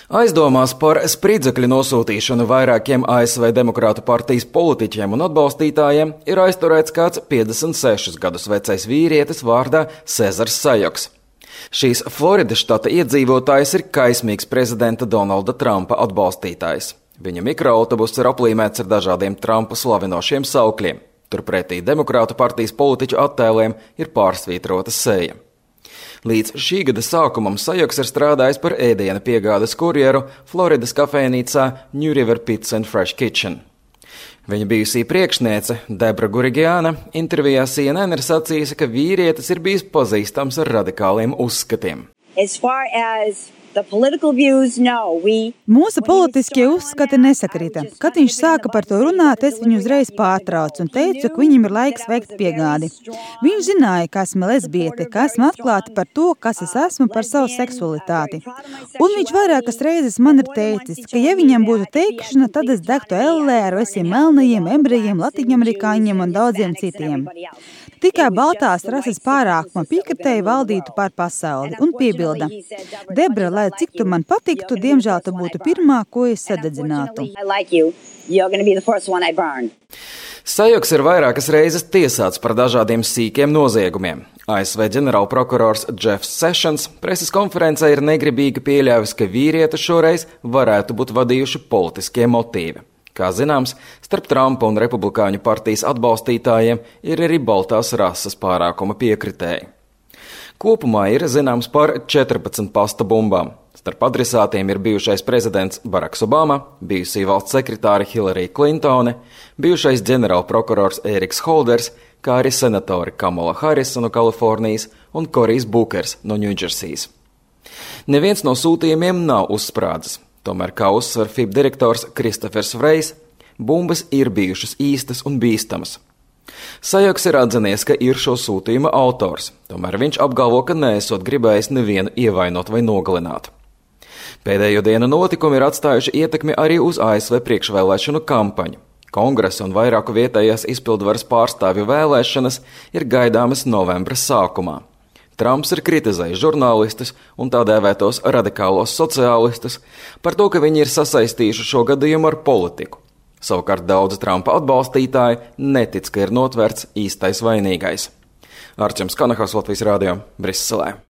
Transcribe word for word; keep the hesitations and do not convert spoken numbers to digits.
Aizdomās par spridzekļu nosūtīšanu vairākiem A S V Demokrātu partijas politiķiem un atbalstītājiem ir aizturēts kāds piecdesmit sešus gadus vecais vīrietis vārdā Cezars Sajoks. Šīs Floridas štata iedzīvotājs ir kaismīgs prezidenta Donalda Trumpa atbalstītājs. Viņa mikroautobuss ir aplīmēts ar dažādiem Trumpa slavinošiem saukļiem. Turpretī Demokrātu partijas politiķu attēliem ir pārsvītrota seja. Līdz šī gada sākumam Sajoks ir strādājis par ēdiena piegādes kurjeru Floridas kafejnīcā New River Pizza and Fresh Kitchen. Viņa bijusī priekšniece Debra Gurigiana intervijā C N N ir sacījusi, ka vīrietis ir bijis pazīstams ar radikāliem uzskatiem. As far as the political views, no, we... Mūsu politiskie uzskati nesakrita. Kad viņš sāka par to runāt, es viņu uzreiz pārtraucu un teicu, ka viņam ir laiks veikt piegādi. Viņš zināja, ka esmu lesbiete, ka esmu atklāta par to, kas es esmu, par savu seksualitāti. Un viņš vairākas reizes man ir teicis, ka ja viņam būtu teikšana, tad es degtu ellē ar visiem melnajiem, ebrejiem, latiņamerikāņiem un daudziem citiem. Tikai baltās rases pārākuma piekritēji valdītu pār pasauli un piebilda: Debra, lai cik tu man patiktu, diemžēl tu būtu pirmā, ko es sadedzinātu. Sajoks ir vairākas reizes tiesāts par dažādiem sīkiem noziegumiem. A S V ģenerālprokurors Jeffs Sessions preses konferencē ir negribīgi pieļāvis, ka vīrieti šoreiz varētu būt vadījuši politiskie motīvi. Kā zināms, starp Trumpa un Republikāņu partijas atbalstītājiem ir arī baltās rases pārākuma piekritēji. Kopumā ir zināms par četrpadsmit pasta bumbām. Starp adresātiem ir bijušais prezidents Baraks Obama, bijusī valsts sekretāre Hillary Clintone, bijušais ģenerālprokurors Eriks Holders, kā arī senatori Kamala Harris no Kalifornijas un Korijs Bukers no Ņūdžersijas. Neviens no sūtījumiem nav uzsprādzis. Tomēr, kā uzsver F I B direktors Kristofers Vrejs, bumbas ir bijušas īstas un bīstamas. Sajoks ir atzinies, ka ir šo sūtījuma autors, tomēr viņš apgalvo, ka neesot gribējis nevienu ievainot vai nogalināt. Pēdējo dienu notikumi ir atstājuši ietekmi arī uz A S V priekšvēlēšanu kampaņu. Kongresa un vairāku vietējās izpildvaras pārstāvju vēlēšanas ir gaidāmas novembra sākumā. Trumps ir kritizējis žurnālistus un tā dēvētos radikālos sociālistus par to, ka viņi ir sasaistījuši šo gadījumu ar politiku. Savukārt daudzi Trumpa atbalstītāji netic, ka ir notverts īstais vainīgais. Arčuns Kanahas, Latvijas radio, Briselē.